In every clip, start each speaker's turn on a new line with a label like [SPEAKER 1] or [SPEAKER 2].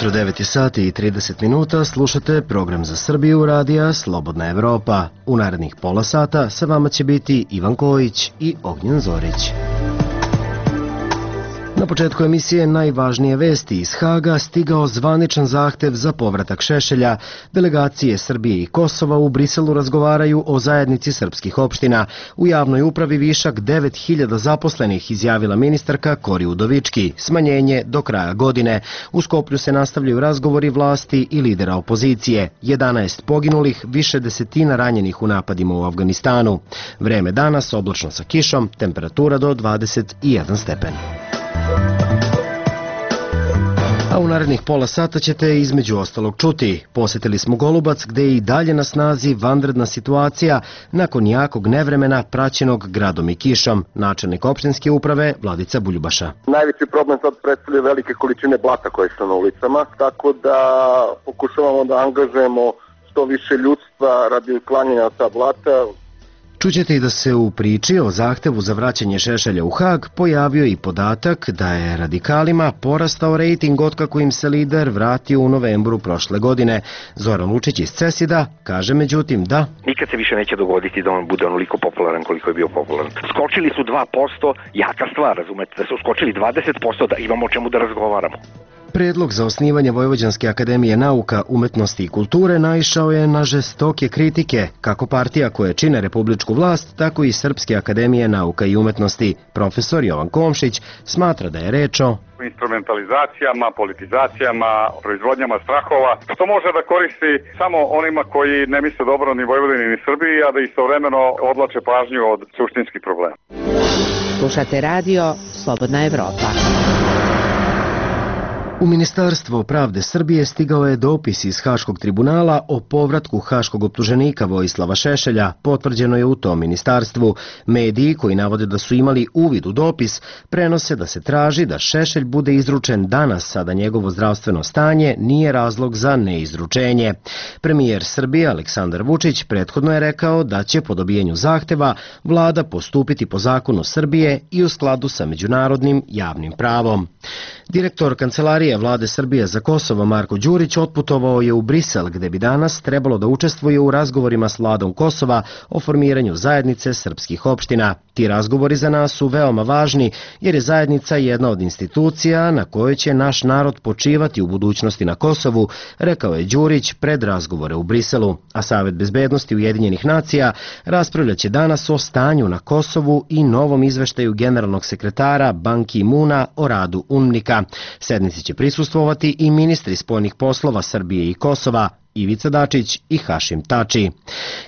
[SPEAKER 1] ujutro, 9 sati i 30 minuta, slušate program za Srbiju radija Slobodna Evropa. U narednih pola sata sa vama će biti Ivan Kojić i Ognjen Zorić. Na početku emisije najvažnije vesti iz Haga stigao zvaničan zahtev za povratak Šešelja. Delegacije Srbije i Kosova u Briselu razgovaraju o zajednici srpskih opština. U javnoj upravi višak 9000 zaposlenih, izjavila ministarka Kori Udovički. Smanjenje do kraja godine. U Skoplju se nastavljaju razgovori vlasti i lidera opozicije. 11 poginulih, više desetina ranjenih u napadima u Afganistanu. Vreme danas oblačno sa kišom, temperatura do 21 stepen. A u narednih pola sata ćete između ostalog čuti. Posjetili smo Golubac gde je i dalje na snazi vanredna situacija nakon jakog nevremena praćenog gradom i kišom. Načelnik opštinske uprave Vladica Buljubaša.
[SPEAKER 2] Najveći problem sad predstavljaju velike količine blata koje su na ulicama, tako da pokušavamo da angažujemo što više ljudstva radi uklanjanja ta blata.
[SPEAKER 1] Čućete i da se u priči o zahtevu za vraćanje Šešelja u Hag pojavio i podatak da je radikalima porastao rejting otkako im se lider vratio u novembru prošle godine. Zoran Lučić iz Cesida kaže međutim da
[SPEAKER 3] nikad se više neće dogoditi da on bude onoliko popularan koliko je bio popularan. Skočili su 2%, jaka stvar, razumete, da su skočili 20%, da imamo o čemu da razgovaramo.
[SPEAKER 1] Predlog za osnivanje Vojvođanske akademije nauka, umetnosti i kulture naišao je na žestoke kritike, kako partija koje čine republičku vlast, tako i Srpske akademije nauka i umetnosti. Profesor Jovan Komšić smatra da je reč o
[SPEAKER 4] instrumentalizacijama, politizacijama, proizvodnjama strahova, što može da koristi samo onima koji ne misle dobro ni Vojvodini ni Srbiji, a da istovremeno odlače pažnju od suštinskih problema.
[SPEAKER 5] Slušate radio Slobodna Evropa.
[SPEAKER 1] U Ministarstvo pravde Srbije stigao je dopis iz Haškog tribunala o povratku haškog optuženika Vojislava Šešelja. Potvrđeno je u tom ministarstvu. Mediji koji navode da su imali uvid u dopis prenose da se traži da Šešelj bude izručen danas, a da njegovo zdravstveno stanje nije razlog za neizručenje. Premijer Srbije Aleksandar Vučić prethodno je rekao da će po dobijenju zahteva vlada postupiti po zakonu Srbije i u skladu sa međunarodnim javnim pravom. Direktor Kancelarije Vlade Srbije za Kosovo Marko Đurić otputovao je u Brisel gde bi danas trebalo da učestvuje u razgovorima s vladom Kosova o formiranju zajednice srpskih opština. Ti razgovori za nas su veoma važni jer je zajednica jedna od institucija na kojoj će naš narod počivati u budućnosti na Kosovu, rekao je Đurić pred razgovore u Briselu. A Savet bezbednosti Ujedinjenih nacija raspravljaće danas o stanju na Kosovu i novom izveštaju generalnog sekretara Ban Ki-muna o radu UNMNIK-a. Sednici će prisustvovati i ministri spoljnih poslova Srbije i Kosova, Ivica Dačić i Hašim Tači.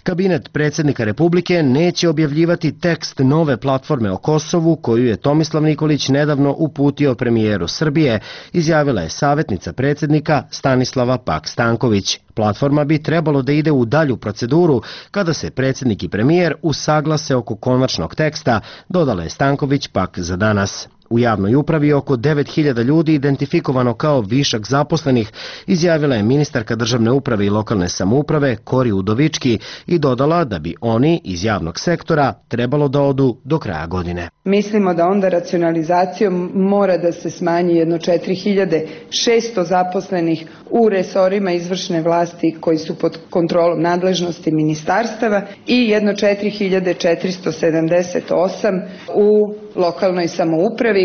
[SPEAKER 1] Kabinet predsjednika Republike neće objavljivati tekst nove platforme o Kosovu koju je Tomislav Nikolić nedavno uputio premijeru Srbije, izjavila je savjetnica predsjednika Stanislava Pak-Stanković. Platforma bi trebalo da ide u dalju proceduru kada se predsjednik i premijer usaglase oko konačnog teksta, dodala je Stanković pak za danas. U javnoj upravi oko 9000 ljudi identifikovano kao višak zaposlenih, izjavila je ministarka državne uprave i lokalne samouprave Kori Udovički i dodala da bi oni iz javnog sektora trebalo da odu do kraja godine.
[SPEAKER 6] Mislimo da onda racionalizacijom mora da se smanji jedno 4600 zaposlenih u resorima izvršne vlasti koji su pod kontrolom nadležnosti ministarstava i jedno 4478 u lokalnoj samoupravi.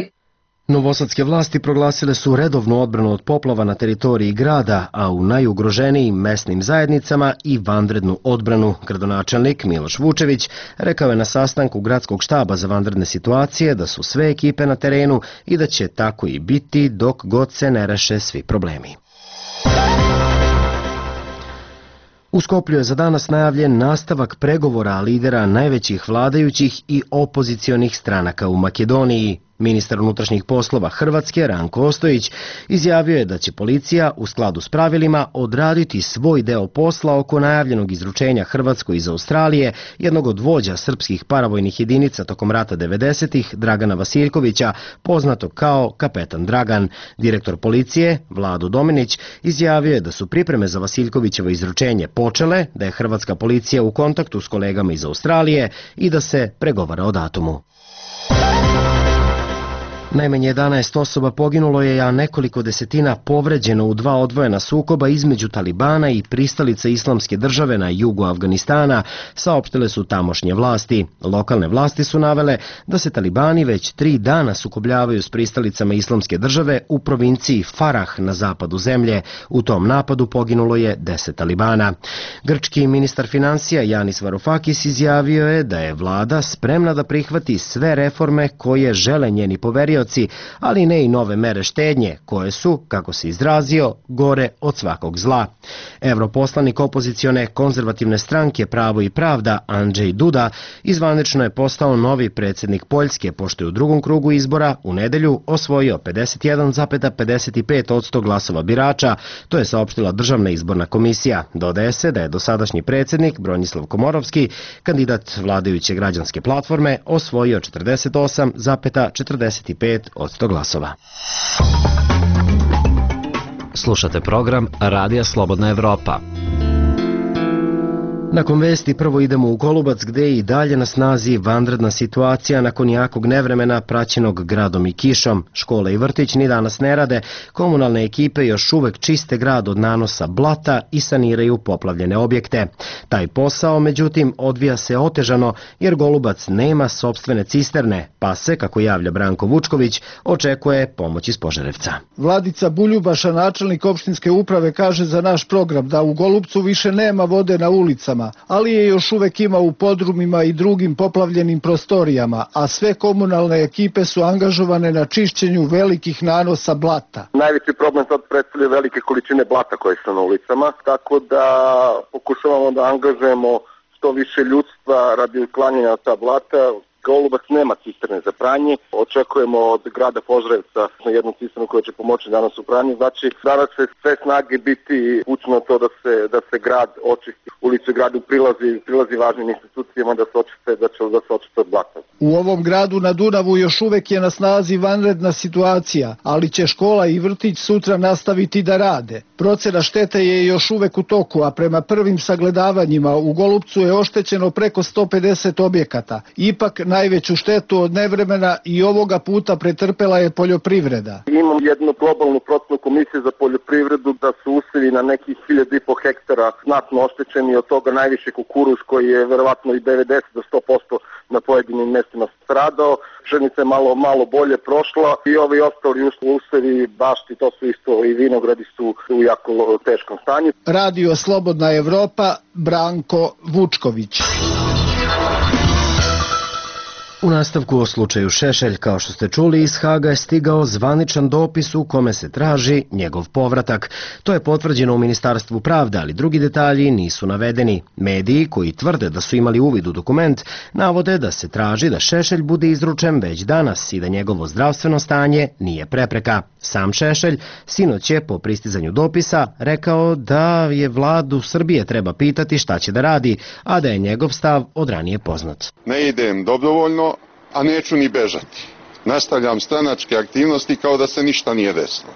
[SPEAKER 1] Novosadske vlasti proglasile su redovnu odbranu od poplava na teritoriji grada, a u najugroženijim mesnim zajednicama i vanrednu odbranu. Gradonačelnik Miloš Vučević rekao je na sastanku gradskog štaba za vanredne situacije da su sve ekipe na terenu i da će tako i biti dok god se ne reše svi problemi. U Skoplju je za danas najavljen nastavak pregovora lidera najvećih vladajućih i opozicionih stranaka u Makedoniji. Ministar unutrašnjih poslova Hrvatske Ranko Ostojić izjavio je da će policija u skladu s pravilima odraditi svoj deo posla oko najavljenog izručenja Hrvatskoj iz Australije jednog od vođa srpskih paravojnih jedinica tokom rata 90-ih, Dragana Vasiljkovića, poznatog kao Kapetan Dragan. Direktor policije, Vlado Dominić, izjavio je da su pripreme za Vasiljkovićevo izručenje počele, da je hrvatska policija u kontaktu s kolegama iz Australije i da se pregovara o datumu. Najmanje 11 osoba poginulo je, a nekoliko desetina povređeno u dva odvojena sukoba između Talibana i pristalice Islamske države na jugu Afganistana, saopštile su tamošnje vlasti. Lokalne vlasti su navele da se Talibani već 3 dana sukobljavaju s pristalicama Islamske države u provinciji Farah na zapadu zemlje. U tom napadu poginulo je 10 Talibana. Grčki ministar finansija Yanis Varoufakis izjavio je da je vlada spremna da prihvati sve reforme koje žele njeni poverioci, ali ne i nove mere štednje, koje su, kako se izrazio, gore od svakog zla. Europoslanik opozicione konzervativne stranke Pravo i pravda Andrzej Duda izvanično je postao novi predsjednik Poljske, pošto je u drugom krugu izbora u nedelju osvojio 51,55% glasova birača, to je saopštila Državna izborna komisija. Dodaje se da je dosadašnji predsjednik Bronislav Komorovski, kandidat vladajuće građanske platforme, osvojio 48,45% glasova.
[SPEAKER 7] Slušate program Radija Slobodna Evropa.
[SPEAKER 1] Nakon vesti prvo idemo u Golubac, gde je i dalje na snazi vanredna situacija nakon jakog nevremena praćenog gradom i kišom. Škole i vrtić ni danas ne rade, komunalne ekipe još uvek čiste grad od nanosa blata i saniraju poplavljene objekte. Taj posao, međutim, odvija se otežano jer Golubac nema sopstvene cisterne, pa se, kako javlja Branko Vučković, očekuje pomoć iz Požarevca.
[SPEAKER 8] Vladica Buljubaša, načelnik opštinske uprave, kaže za naš program da u Golubcu više nema vode na ulicama, ali je još uvek ima u podrumima i drugim poplavljenim prostorijama, a sve komunalne ekipe su angažovane na čišćenju velikih nanosa blata.
[SPEAKER 2] Najveći problem sad predstavlja velike količine blata koje su na ulicama, tako da pokušavamo da angažujemo što više ljudstva radi uklanjanja ta blata. Golubac nema cisterne za pranje. Očekujemo od grada Požarevca jednu cisternu koja će pomoći danas u pranju. Znači, danas će sve snage biti upućeno to da se grad očisti. Ulice gradu prilazi važnim institucijama da se očiste od blata.
[SPEAKER 8] U ovom gradu na Dunavu još uvek je na snazi vanredna situacija, ali će škola i vrtić sutra nastaviti da rade. Procena štete je još uvek u toku, a prema prvim sagledavanjima u Golubcu je oštećeno preko 150 objekata. Ipak najveću štetu od nevremena i ovoga puta pretrpela je poljoprivreda.
[SPEAKER 2] Imam jednu globalnu procenu komisije za poljoprivredu da su usevi na nekih 1.500 hektara znatno oštećeni, od toga najviše kukuruz koji je verovatno i 90 do 100% na pojedinim mestima stradao. Pšenica je malo bolje prošla i ovi ostali usevi, bašti, to su isto i vinogradi su u jako teškom stanju.
[SPEAKER 8] Radio Slobodna Evropa, Branko Vučković.
[SPEAKER 1] U nastavku o slučaju Šešelj, kao što ste čuli, iz Haga je stigao zvaničan dopis u kome se traži njegov povratak. To je potvrđeno u Ministarstvu pravde, ali drugi detalji nisu navedeni. Mediji, koji tvrde da su imali uvid u dokument, navode da se traži da Šešelj bude izručen već danas i da njegovo zdravstveno stanje nije prepreka. Sam Šešelj sinoć je po pristizanju dopisa rekao da je vladu Srbije treba pitati šta će da radi, a da je njegov stav od ranije poznat.
[SPEAKER 9] Ne idem dobrovoljno, a neću ni bežati. Nastavljam stranačke aktivnosti kao da se ništa nije desilo.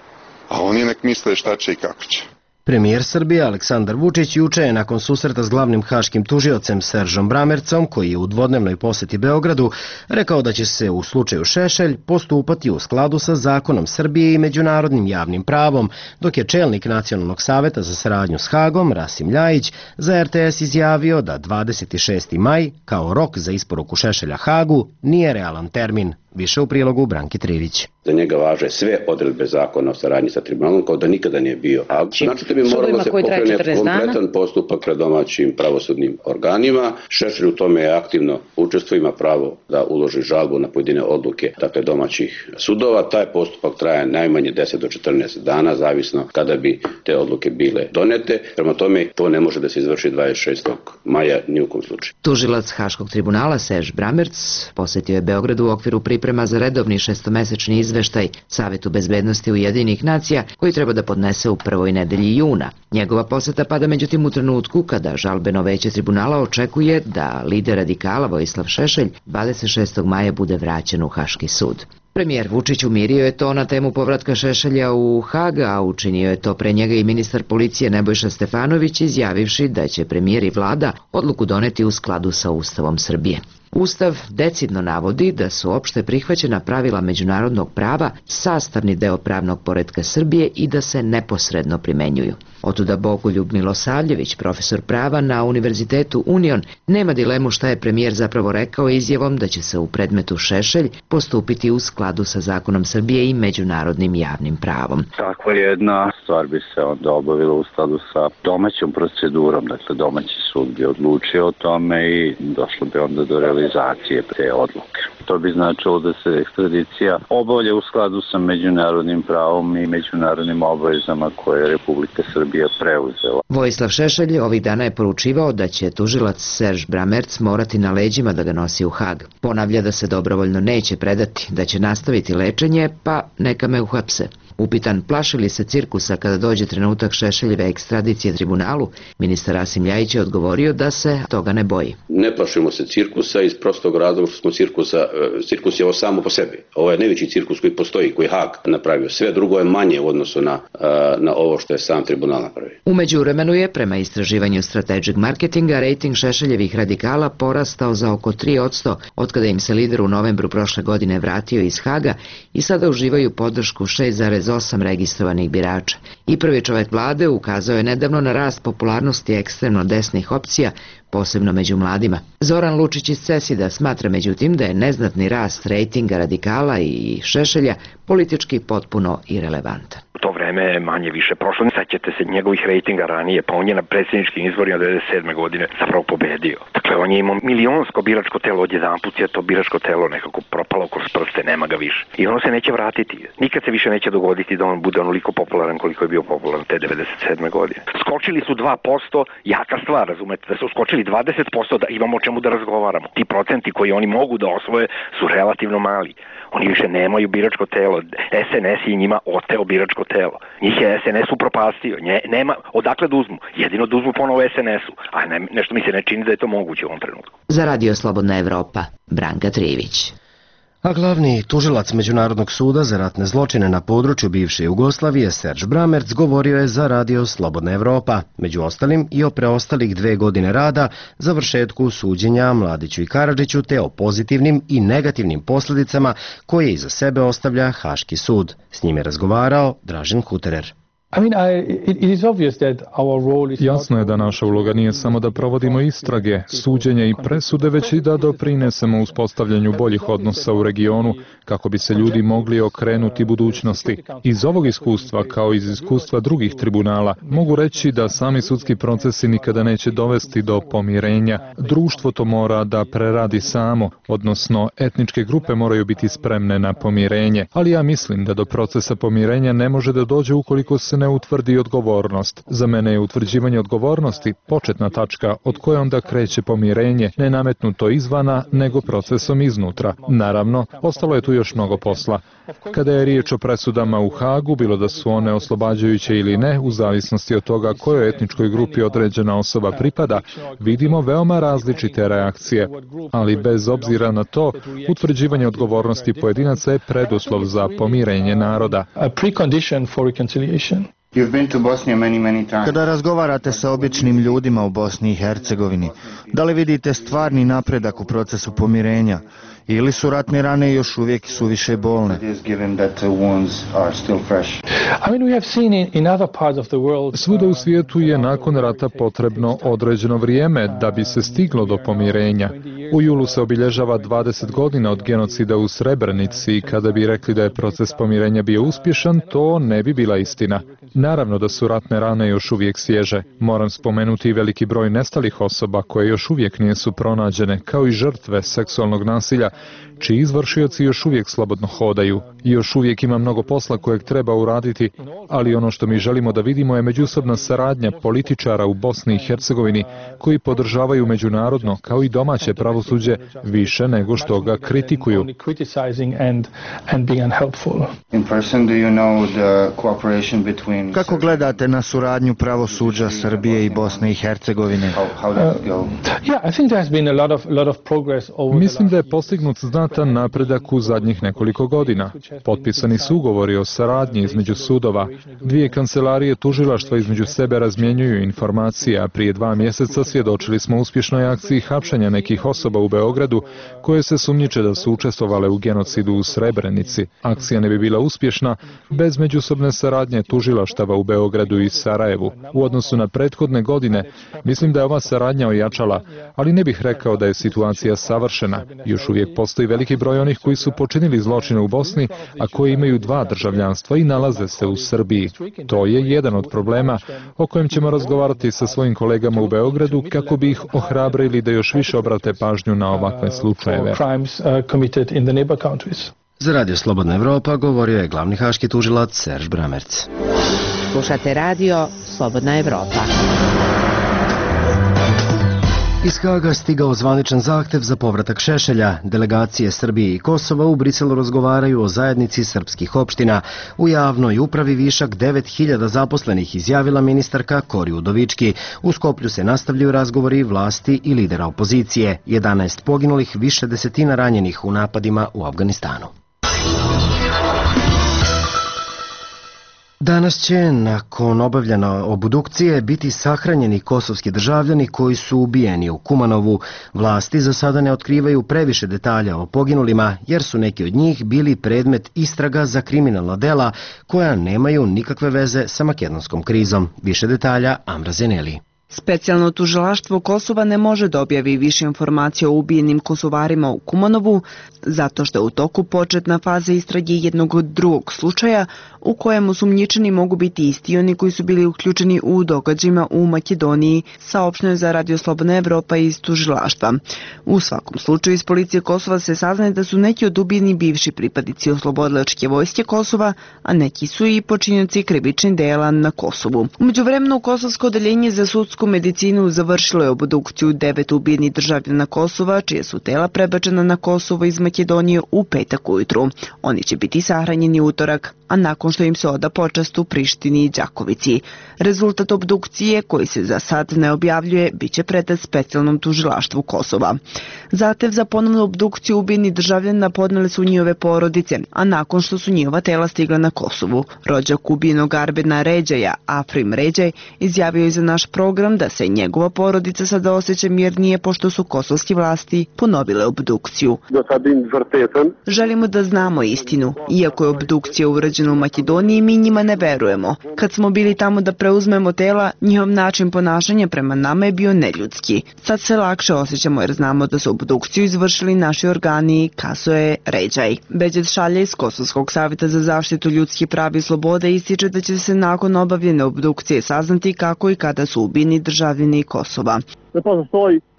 [SPEAKER 9] A oni nek misle šta će i kako će.
[SPEAKER 1] Premijer Srbije Aleksandar Vučić juče je nakon susreta s glavnim haškim tužiocem Seržom Bramercom, koji je u dvodnevnoj poseti Beogradu, rekao da će se u slučaju Šešelj postupati u skladu sa zakonom Srbije i međunarodnim javnim pravom, dok je čelnik Nacionalnog saveta za saradnju s Hagom, Rasim Ljajić, za RTS izjavio da 26. maj, kao rok za isporuku Šešelja Hagu, nije realan termin. Više u prilogu Branki Trivić.
[SPEAKER 10] Za njega važe sve odredbe zakona o saradnji sa tribunalom, kao da nikada nije bio. Znači da bi moralo se pokrene kompletan postupak pred domaćim pravosudnim organima. Šešelj u tome je aktivno učestvuje, ima pravo da uloži žalbu na pojedine odluke domaćih sudova. Taj postupak traje najmanje 10 do 14 dana, zavisno kada bi te odluke bile donete. Prema tome, to ne može da se izvrši 26. maja ni u kom slučaju.
[SPEAKER 5] Tužilac Haškog tribunala Serž Bramerc posetio je Beograd u okviru priprema za redovni šestomesečni izveštaj Savetu bezbednosti Ujedinjenih nacija koji treba da podnese u prvoj nedelji juna. Njegova poseta pada međutim u trenutku kada žalbeno veće tribunala očekuje da lider radikala Vojislav Šešelj 26. maja bude vraćen u Haški sud. Premijer Vučić umirio je to na temu povratka Šešelja u Hag, a učinio je to pre njega i ministar policije Nebojša Stefanović, izjavivši da će premijer i vlada odluku doneti u skladu sa Ustavom Srbije. Ustav decidno navodi da su opšte prihvaćena pravila međunarodnog prava sastavni deo pravnog poretka Srbije i da se neposredno primenjuju. Otuda Bogoljub Milosavljević, profesor prava na Univerzitetu Union, nema dilemu šta je premijer zapravo rekao izjavom da će se u predmetu Šešelj postupiti u skladu sa zakonom Srbije i međunarodnim javnim pravom.
[SPEAKER 11] Takva jedna stvar bi se onda obavila u skladu sa domaćom procedurom, dakle domaći sud bi odlučio o tome i došlo bi onda do realizacije te odluke. To bi značilo da se ekstradicija obavlja u skladu sa međunarodnim pravom i međunarodnim obavezama koje je Republika Srbija preuzela.
[SPEAKER 5] Vojislav Šešelj ovih dana je poručivao da će tužilac Serž Bramerc morati na leđima da ga nosi u Hag. Ponavlja da se dobrovoljno neće predati, da će nastaviti lečenje, pa neka me uhapse. Upitan plaši li se cirkusa kada dođe trenutak Šešeljeve ekstradicije tribunalu, ministar Rasim Ljajić je odgovorio da se toga ne boji.
[SPEAKER 10] Ne plašimo se cirkusa iz prostog razloga što smo cirkus je ovo samo po sebi. Ovo je najveći cirkus koji postoji, koji je Hag napravio. Sve drugo je manje u odnosu na ovo što je sam tribunal napravio.
[SPEAKER 5] U međuvremenu je, prema istraživanju Strategic Marketinga, rejting Šešeljevih radikala porastao za oko 3% otkada im se lider u novembru prošle godine vratio iz Haga i sada uživaju podršku 6,8 registrovanih birača. I prvi čovek vlade ukazao je nedavno na rast popularnosti ekstremno desnih opcija, posebno među mladima. Zoran Lučić iz CESID-a smatra međutim da je neznatni rast rejtinga radikala i Šešelja politički potpuno irelevantan.
[SPEAKER 3] To vreme je manje više prošlo. Sećate se njegovih rejtinga ranije, pa on je na predsjedničkim izborima 1997. godine zapravo pobedio. Dakle, on je imao milionsko biračko telo, odjedanput je to biračko telo nekako propalo kroz prste, nema ga više. I ono se neće vratiti. Nikad se više neće dogoditi da on bude onoliko popularan koliko je bio popularan te 1997. godine. Skočili su 2%, jaka stvar, razumete, da su skočili 20%, da imamo o čemu da razgovaramo. Ti procenti koji oni mogu da osvoje su relativno mali. Oni više nemaju biračko telo. SNS je njima oteo biračko telo. Njih je SNS upropastio. Nema odakle da uzmu. Jedino da uzmu ponovo SNS-u. A nešto mi se ne čini da je to moguće u ovom trenutku.
[SPEAKER 5] Za Radio Slobodna Evropa, Branka Trivić.
[SPEAKER 1] A glavni tužilac Međunarodnog suda za ratne zločine na području bivše Jugoslavije, Serž Bramerc, govorio je za Radio Slobodna Evropa, među ostalim i o preostalih 2 godine rada, završetku suđenja Mladiću i Karadžiću te o pozitivnim i negativnim posljedicama koje iza sebe ostavlja Haški sud. S njim je razgovarao Dražen Huterer.
[SPEAKER 12] Jasno je da naša uloga nije samo da provodimo istrage, suđenje i presude, već i da doprinesemo uspostavljanju boljih odnosa u regionu, kako bi se ljudi mogli okrenuti budućnosti. Iz ovog iskustva, kao iz iskustva drugih tribunala, mogu reći da sami sudski procesi nikada neće dovesti do pomirenja. Društvo to mora da preradi samo, odnosno etničke grupe moraju biti spremne na pomirenje, ali ja mislim da do procesa pomirenja ne može da dođe ukoliko se ne utvrdi odgovornost. Za mene je utvrđivanje odgovornosti početna tačka od koje onda kreće pomirenje, ne nametnuto izvana, nego procesom iznutra. Naravno, ostalo je tu još mnogo posla. Kada je riječ o presudama u Hagu, bilo da su one oslobađajuće ili ne, u zavisnosti od toga kojoj etničkoj grupi određena osoba pripada, vidimo veoma različite reakcije. Ali bez obzira na to, utvrđivanje odgovornosti pojedinaca je preduslov za pomirenje naroda.
[SPEAKER 13] Kada razgovarate sa običnim ljudima u Bosni i Hercegovini, da li vidite stvarni napredak u procesu pomirenja ili su ratne rane još uvijek suviše bolne?
[SPEAKER 12] Svuda u svijetu je nakon rata potrebno određeno vrijeme da bi se stiglo do pomirenja. U julu se obilježava 20 godina od genocida u Srebrenici i kada bi rekli da je proces pomirenja bio uspješan, to ne bi bila istina. Naravno da su ratne rane još uvijek svježe. Moram spomenuti i veliki broj nestalih osoba koje još uvijek nisu pronađene, kao i žrtve seksualnog nasilja, čiji izvršioci još uvijek slobodno hodaju. I još uvijek ima mnogo posla kojeg treba uraditi, ali ono što mi želimo da vidimo je međusobna saradnja političara u Bosni i Hercegovini koji podržavaju međunarodno, kao i domaće pravosuđe, više nego što ga kritikuju.
[SPEAKER 13] Kako gledate na suradnju pravosuđa Srbije i Bosne i Hercegovine?
[SPEAKER 12] Mislim da je postignut znatan napredak u zadnjih nekoliko godina. Potpisani su ugovori o saradnji između sudova. 2 kancelarije tužilaštva između sebe razmjenjuju informacije, a prije 2 mjeseca svjedočili smo uspješnoj akciji hapšenja nekih osoba osoba u Beogradu koje se sumnjiče da su učestvovale u genocidu u Srebrenici. Akcija ne bi bila uspješna bez međusobne saradnje tužilaštava u Beogradu i Sarajevu. U odnosu na prethodne godine, mislim da je ova saradnja ojačala, ali ne bih rekao da je situacija savršena. Još uvijek postoji veliki broj onih koji su počinili zločine u Bosni, a koji imaju dva državljanstva i nalaze se u Srbiji. To je jedan od problema o kojem ćemo razgovarati sa svojim kolegama u Beogradu kako bi ih ohrabrili da još više obrate pažnju na ovakve slučajeve.
[SPEAKER 1] Za Radio Slobodna Evropa govorio je glavni haški tužilac Serž Bramerc.
[SPEAKER 5] Slušate radio Slobodna Evropa.
[SPEAKER 1] Iz Haga stigao zvaničan zahtev za povratak Šešelja. Delegacije Srbije i Kosova u Briselu razgovaraju o zajednici srpskih opština. U javnoj upravi višak 9000 zaposlenih, izjavila ministarka Kori Udovički. U Skoplju se nastavljaju razgovori vlasti i lidera opozicije. 11 poginulih, više desetina ranjenih u napadima u Afganistanu. Danas će, nakon obavljene obdukcije, biti sahranjeni kosovski državljani koji su ubijeni u Kumanovu. Vlasti za sada ne otkrivaju previše detalja o poginulima, jer su neki od njih bili predmet istraga za kriminalna dela koja nemaju nikakve veze sa makedonskom krizom. Više detalja Amra Zeneli.
[SPEAKER 14] Specijalno tužilaštvo Kosova ne može da objavi više informacija o ubijenim Kosovarima u Kumanovu, zato što je u toku početna faza istrage jednog drugog slučaja u kojem osumnjičeni mogu biti isti oni koji su bili uključeni u događajima u Makedoniji, saopšteno je za Radio Slobodna Evropa iz tužilaštva. U svakom slučaju iz policije Kosova se saznaje da su neki od ubijeni bivši pripadnici oslobodilačke vojske Kosova, a neki su i počinioci krivičnih dela na Kosovu. U međuvremenu Kosovsko odeljenje za sudsku medicinu završilo je obdukciju 9 ubijenih državljana Kosova, čije su tela prebačena na Kosovo iz Makedonije u petak ujutru. Oni će biti sahranjeni utorak, a nakon što im se oda počast u Prištini i Đakovici. Rezultat obdukcije, koji se za sad ne objavljuje, bit će predat specijalnom tužilaštvu Kosova. Zahtev za ponovnu obdukciju ubijenih državljana podnele su njihove porodice, a nakon što su njihova tela stigla na Kosovu. Rođak ubijenog Arbena Ređaja, Afrim Ređaj, izjavio je za naš program da se njegova porodica sada osjeća mirnije pošto su kosovske vlasti ponovile obdukciju. Želimo da znamo istinu. Iako je obdukcija urađena u Makedoniji, mi njima ne verujemo. Kad smo bili tamo da preuzmemo tela, njihov način ponašanja prema nama je bio neljudski. Sad se lakše osjećamo jer znamo da su obdukciju izvršili naši organi, kazao je Ređaj. Beđet Šalja iz Kosovskog savjeta za zaštitu ljudskih prava i slobode ističe da će se nakon obavljene obdukcije saznati kako i kada su ubijeni državljani Kosova.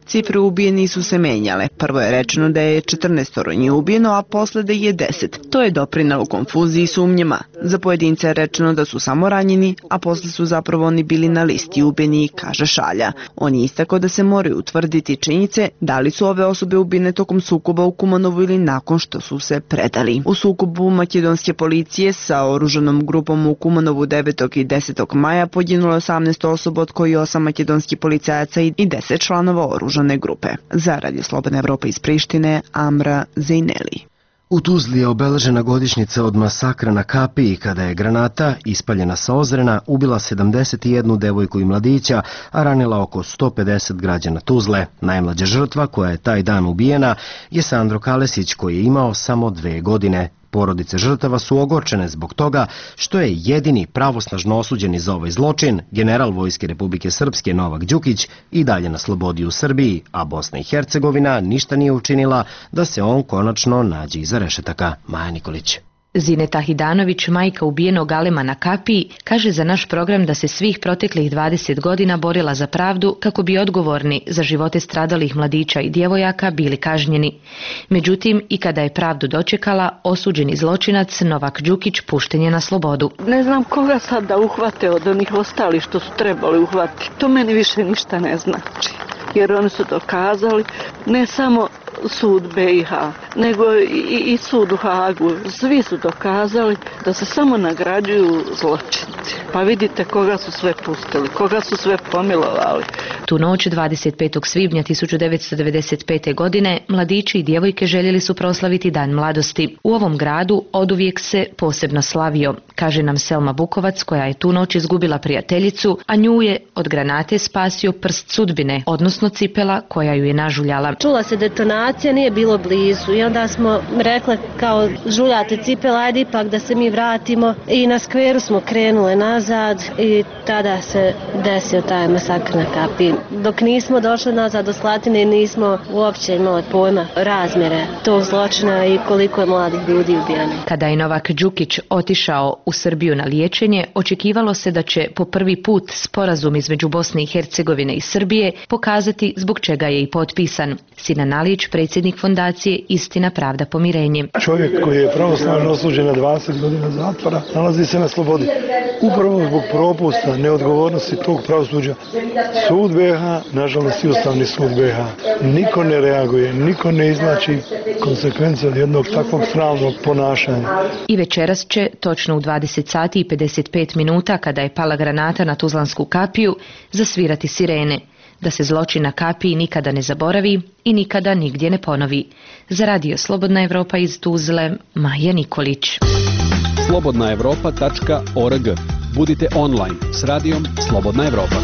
[SPEAKER 14] Cifre ubijeni su se menjale. Prvo je rečeno da je 14 njih ubijeno, a posle da je 10. To je doprinelo konfuziji i sumnjama. Za pojedince je rečeno da su samo ranjeni, a posle su zapravo oni bili na listi ubijeni, kaže Šalja. On je istakao da se moraju utvrditi činjenice da li su ove osobe ubijene tokom sukoba u Kumanovu ili nakon što su se predali. U sukobu makedonske policije sa oružanom grupom u Kumanovu 9. i 10. maja poginulo 18 osoba, od koji 8 makedonskih policajaca i 10 članova oružanih grupe. Za Radio Slobodna Evropa iz Prištine, Amra Zejneli.
[SPEAKER 1] U Tuzli je obeležena godišnjica od masakra na Kapiji kada je granata, ispaljena sa Ozrena, ubila 71 devojku i mladića, a ranila oko 150 građana Tuzle. Najmlađa žrtva koja je taj dan ubijena je Sandro Kalesić, koji je imao samo 2 godine. Porodice žrtava su ogorčene zbog toga što je jedini pravosnažno osuđeni za ovaj zločin, general Vojske Republike Srpske Novak Đukić, i dalje na slobodi u Srbiji, a Bosna i Hercegovina ništa nije učinila da se on konačno nađe iza rešetaka. Maja Nikolić.
[SPEAKER 15] Zineta Hidanović, majka ubijenog Alema na Kapiji, kaže za naš program da se svih proteklih 20 godina borila za pravdu kako bi odgovorni za živote stradalih mladića i djevojaka bili kažnjeni. Međutim, i kada je pravdu dočekala, osuđeni zločinac Novak Đukić pušten je na slobodu.
[SPEAKER 16] Ne znam koga sad da uhvate od onih ostalih što su trebali uhvatiti. To meni više ništa ne znači. Jer oni su dokazali ne samo sud BiH, nego i sud u Hagu. Svi su dokazali da se samo nagrađuju zločinci. Pa vidite koga su sve pustili, koga su sve pomilovali.
[SPEAKER 15] Tu noć 25. svibnja 1995. godine mladići i djevojke željeli su proslaviti Dan mladosti. U ovom gradu oduvijek se posebno slavio, kaže nam Selma Bukovac, koja je tu noć izgubila prijateljicu, a nju je od granate spasio prst sudbine, odnosno cipela koja ju je nažuljala.
[SPEAKER 17] Čula se detonacija, nije bilo blizu i onda smo rekle kao žuljate cipela, ajde ipak da se mi vratimo i na skveru smo krenule nazad i tada se desio taj masakr na Kapiji. Dok nismo došli nazad do Slatine nismo uopće imali pojma razmjere tog zločina i koliko je mladih ljudi ubijeno.
[SPEAKER 15] Kada je Novak Đukić otišao u Srbiju na liječenje, očekivalo se da će po prvi put sporazum između Bosne i Hercegovine i Srbije pokazati zbog čega je i potpisan. Sinan Alić, predsjednik fondacije Istina, pravda, pomirenje.
[SPEAKER 18] Čovjek koji je pravosnažno osuđen na 20 godina zatvora nalazi se na slobodi. Upravo zbog propusta, neodgovornosti tog pravosuđa. Sud BiH, nažalost i Ustavni sud BiH, niko ne reaguje, niko ne iznači konsekvence od jednog takvog sramnog ponašanja.
[SPEAKER 15] I večeras će, točno u 20 sati i 55 minuta, kada je pala granata na Tuzlansku kapiju, zasvirati sirene, da se zločin na Kapiji nikada ne zaboravi i nikada nigdje ne ponovi. Za Radio Slobodna Evropa iz Tuzle, Maja Nikolić.
[SPEAKER 19] slobodnaevropa.org. Budite online s radijom Slobodna Evropa.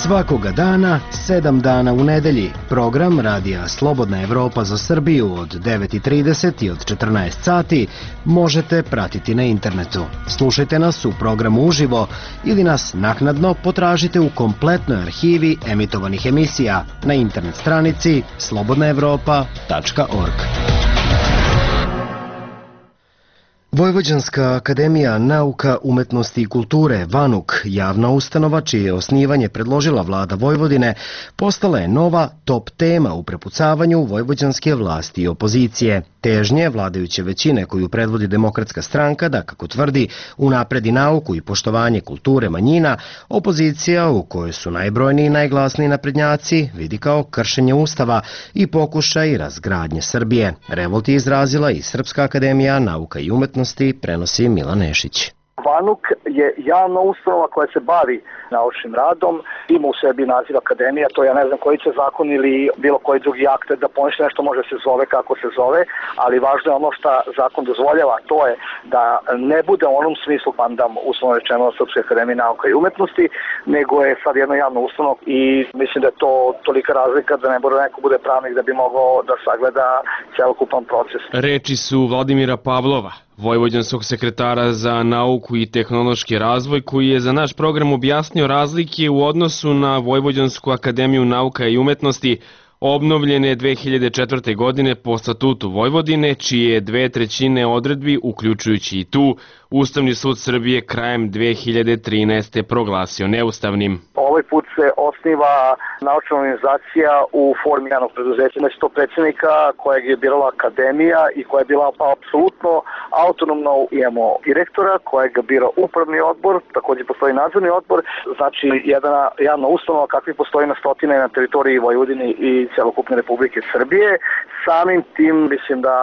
[SPEAKER 1] Svakoga dana, 7 dana u nedelji, program Radija Slobodna Evropa za Srbiju od 9:30 i od 14 sati možete pratiti na internetu. Slušajte nas u programu uživo ili nas naknadno potražite u kompletnoj arhivi emitovanih emisija na internet stranici slobodnaevropa.org. Vojvođanska akademija nauka, umetnosti i kulture, VANUK, javna ustanova čije je osnivanje predložila vlada Vojvodine, postala je nova top tema u prepucavanju vojvođanske vlasti i opozicije. Težnje vladajuće većine koju predvodi Demokratska stranka da, kako tvrdi, unapredi nauku i poštovanje kulture manjina, opozicija, u kojoj su najbrojniji i najglasniji naprednjaci, vidi kao kršenje ustava i pokušaj razgradnje Srbije. Revolt je izrazila i Srpska akademija nauka i umetnosti, prenosi Milan Nešić.
[SPEAKER 20] VANUK je javna ustanova koja se bavi naučnim radom, ima u sebi naziv akademija, to ja ne znam koji će zakon ili bilo koji drugi akt da poništi nešto može se zove kako se zove, ali važno je ono što zakon dozvoljava, to je da ne bude u onom smislu pandam uslovno rečeno Srpske akademije nauka i umetnosti, nego je sad jedna javna ustanova i mislim da je to tolika razlika da ne mora neko bude pravnik da bi mogao da sagleda celokupan proces.
[SPEAKER 21] Reči su Vladimira Pavlova, vojvođanskog sekretara za nauku i tehnološki razvoj, koji je za naš program objasnio razlike u odnosu na Vojvođansku akademiju nauka i umetnosti, obnovljene 2004. godine po statutu Vojvodine, čije 2/3 odredbi, uključujući i tu, Ustavni sud Srbije krajem 2013. proglasio neustavnim.
[SPEAKER 20] Ovaj put se osniva naučna organizacija u formi javnog preduzeća mesto predsjednika kojeg je birala akademija i koja je bila apsolutno autonomna. Imamo direktora kojeg bira upravni odbor, također postoji nadzorni odbor, znači jedna javna ustanova kakvi postoji na stotine na teritoriji Vojvodine i celokupne Republike Srbije. Samim tim mislim da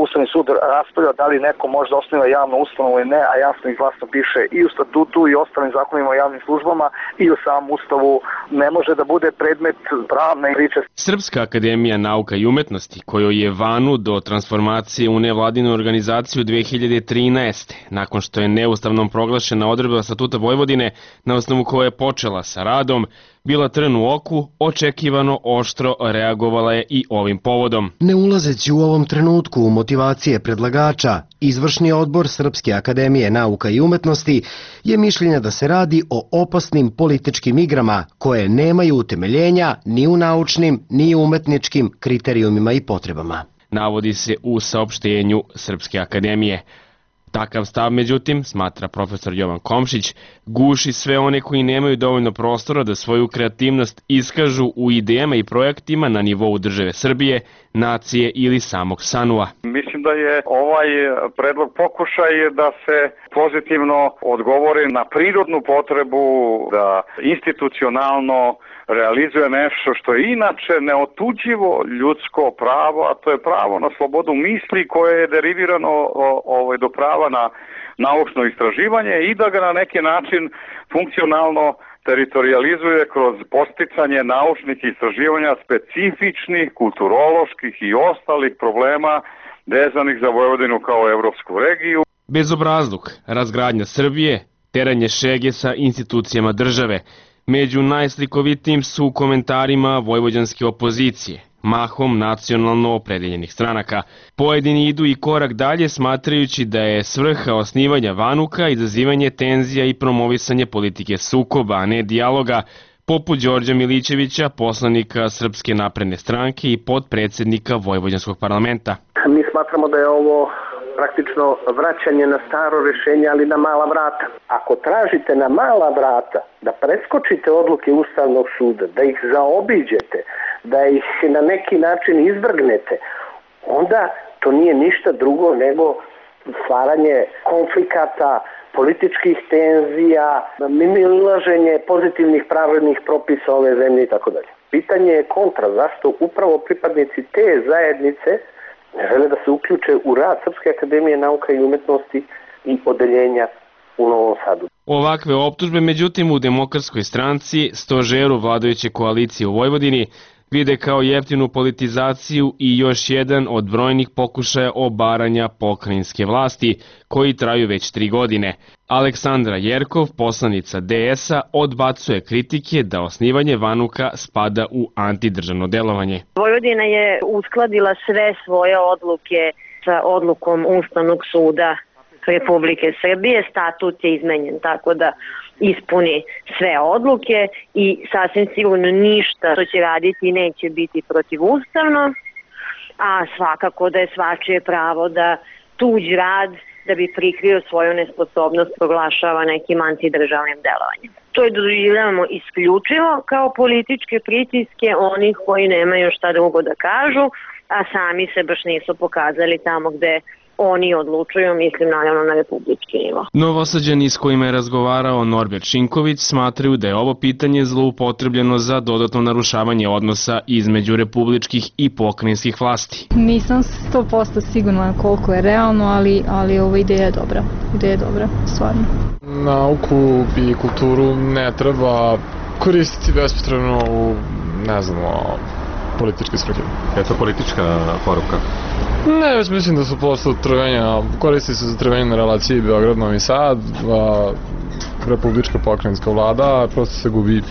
[SPEAKER 20] Ustavni sud raspravlja da li neko može da osniva javnu ustanovu ili ne, a jasno i glasno piše i u statutu i ostalim zakonima o javnim službama i u samom ustavu ne može da bude predmet pravne priče.
[SPEAKER 21] Srpska akademija nauka i umetnosti, kojoj je VANU do transformacije u nevladinu organizaciju 2013. nakon što je neustavnom proglašena odredba statuta Vojvodine, na osnovu koje je počela sa radom, bila trn u oku, očekivano oštro reagovala je i ovim povodom.
[SPEAKER 1] Ne ulazeći u ovom trenutku u motivacije predlagača, Izvršni odbor Srpske akademije nauka i umetnosti je mišljenja da se radi o opasnim političkim igrama koje nemaju utemeljenja ni u naučnim ni u umetničkim kriterijumima i potrebama.
[SPEAKER 21] Navodi se u saopštenju Srpske akademije. Takav stav, međutim, smatra profesor Jovan Komšić, guši sve one koji nemaju dovoljno prostora da svoju kreativnost iskažu u idejama i projektima na nivou države Srbije, nacije ili samog SANU-a.
[SPEAKER 4] Mislim da je ovaj predlog pokušaj da se pozitivno odgovori na prirodnu potrebu da institucionalno realizuje nešto što je inače neotuđivo ljudsko pravo, a to je pravo na slobodu misli koje je derivirano do prava na naučno istraživanje i da ga na neki način funkcionalno teritorializuje kroz posticanje naučnih istraživanja specifičnih, kulturoloških i ostalih problema vezanih za Vojvodinu kao evropsku regiju.
[SPEAKER 21] Bezobrazluk, razgradnja Srbije, teranje šege sa institucijama države. Među najslikovitijim su komentarima vojvođanske opozicije, mahom nacionalno opredeljenih stranaka. Pojedini idu i korak dalje smatrajući da je svrha osnivanja Vanuka izazivanje tenzija i promovisanje politike sukoba, a ne dijaloga, poput Đorđa Milićevića, poslanika Srpske napredne stranke i potpredsednika Vojvođanskog parlamenta.
[SPEAKER 22] Mi smatramo da je ovo praktično vraćanje na staro rešenje, ali na mala vrata. Ako tražite na mala vrata da preskočite odluke Ustavnog suda, da ih zaobiđete, da ih na neki način izvrgnete, onda to nije ništa drugo nego stvaranje konflikata, političkih tenzija, mimoilaženje pozitivnih pravednih propisa ove zemlje i tako dalje. Pitanje je kontra, zašto upravo pripadnici te zajednice ne žele da se uključe u rad Srpske akademije nauka i umetnosti i odeljenja u Novom Sadu.
[SPEAKER 21] Ovakve optužbe, međutim, u Demokratskoj stranci, stožeru vladajuće koalicije u Vojvodini, vide kao jeftinu politizaciju i još jedan od brojnih pokušaja obaranja pokrajinske vlasti, koji traju već 3 godine. Aleksandra Jerkov, poslanica DS-a, odbacuje kritike da osnivanje Vanuka spada u antidržavno delovanje.
[SPEAKER 23] Vojvodina je uskladila sve svoje odluke sa odlukom Ustavnog suda Republike Srbije. Statut je izmenjen tako da ispuni sve odluke i sasvim sigurno ništa što će raditi neće biti protivustavno, a svakako da je svačije pravo da tuđ rad da bi prikrio svoju nesposobnost proglašava nekim antidržavnim delovanjem. To je doživljavamo isključivo kao političke pritiske onih koji nemaju šta drugo da kažu, a sami se baš nisu pokazali tamo gde oni odlučuju, mislim naravno na republički nivo.
[SPEAKER 21] Novosađani s kojima je razgovarao Norbert Šinković smatraju da je ovo pitanje zloupotrebljeno za dodatno narušavanje odnosa između republičkih i pokrajinskih vlasti.
[SPEAKER 24] Nisam 100% sigurna koliko je realno, ali ova ideja je dobra. Ideja je dobra, stvarno.
[SPEAKER 25] Nauku i kulturu ne treba koristiti bespotrebno u, političke svrhe.
[SPEAKER 26] Je to politička poruka?
[SPEAKER 25] Ne, već mislim da su posle trvenja, koristi se za trvenje na relaciji Beograd-Novi Sad, republička pokrajinska vlada, prosto se gubi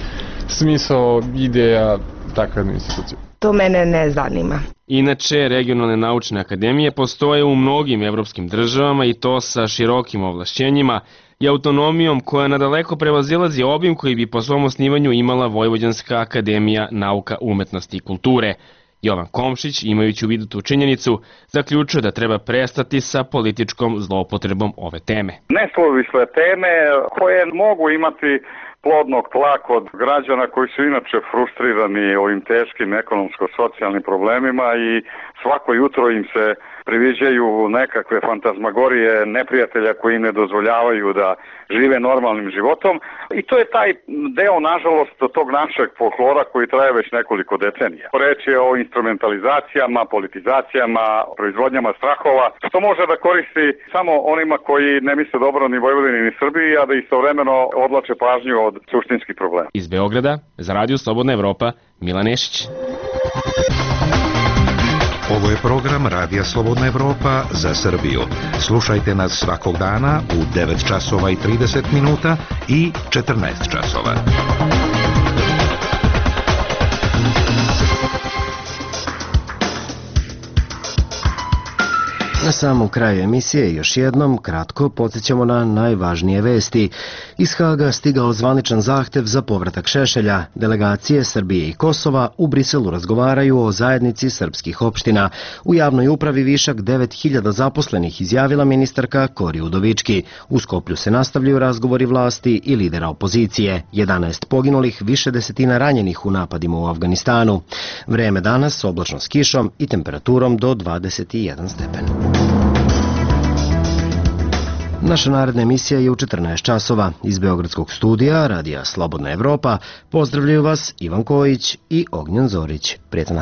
[SPEAKER 25] smisao, ideja takve institucije.
[SPEAKER 27] To mene ne zanima.
[SPEAKER 21] Inače, regionalne naučne akademije postoje u mnogim evropskim državama i to sa širokim ovlašćenjima i autonomijom koja nadaleko prevazilazi obim koji bi po svom osnivanju imala Vojvođanska akademija nauka, umetnosti i kulture. Jovan Komšić, imajući u vidu tu činjenicu, zaključuje da treba prestati sa političkom zloupotrebom ove teme.
[SPEAKER 4] Neslovisle teme koje mogu imati plodnog tla kod građana koji su inače frustrirani ovim teškim ekonomsko-socijalnim problemima i svako jutro im se priviđaju nekakve fantazmagorije neprijatelja koji ne dozvoljavaju da žive normalnim životom i to je taj deo, nažalost, tog našeg folklora koji traje već nekoliko decenija. Reč je o instrumentalizacijama, politizacijama, proizvodnjama strahova, što može da koristi samo onima koji ne misle dobro ni Vojvodini ni Srbiji, a da istovremeno odlače pažnju od suštinskih problema.
[SPEAKER 21] Iz Beograda, za Radio Slobodna Evropa, Milan Nešić.
[SPEAKER 28] Ovo je program Radija Slobodna Evropa za Srbiju. Slušajte nas svakog dana u 9 časova i 30 minuta i 14 časova.
[SPEAKER 1] Na samom kraju emisije još jednom kratko podsjećamo na najvažnije vesti. Iz Haga stigao zvaničan zahtev za povratak Šešelja. Delegacije Srbije i Kosova u Briselu razgovaraju o zajednici srpskih opština. U javnoj upravi višak 9000 zaposlenih, izjavila ministarka Kori Udovički. U Skoplju se nastavljaju razgovori vlasti i lidera opozicije. 11 poginulih, više desetina ranjenih u napadima u Afganistanu. Vreme danas oblačno s kišom i temperaturom do 21 stepen. Naša naredna emisija je u 14 časova. Iz Beogradskog studija Radija Slobodna Evropa pozdravljaju vas Ivan Kojić i Ognjen Zorić. Prijetno.